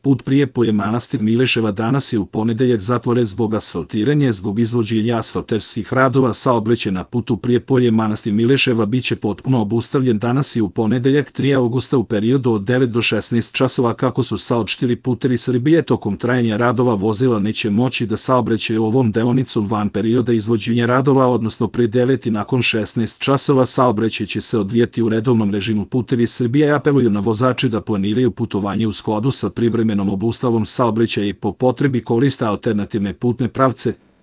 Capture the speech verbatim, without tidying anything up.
Put Prijepolje-Manastir Mileševa danas je u ponedeljak zatvoren zbog asfaltiranja. Zbog izvođenja asfalterskih radova saobraćaj na putu Prijepolje-Manastir Mileševa biće potpuno obustavljen danas i u ponedeljak tri avgusta u periodu od devet do šesnaest časova. Kako su saopštili Putevi Srbije, tokom trajanja radova vozila neće moći da saobraćaju ovom deonicom van perioda izvođenja radova, odnosno pre devet i nakon šesnaest časova. Saobraćaj će se odvijati u redovnom režimu. Putevi Srbije apeluju na vozače da planiraju putovanje u skladu sa privremenom obustavom saobraćaja i po potrebi koriste alternativne putne pravce.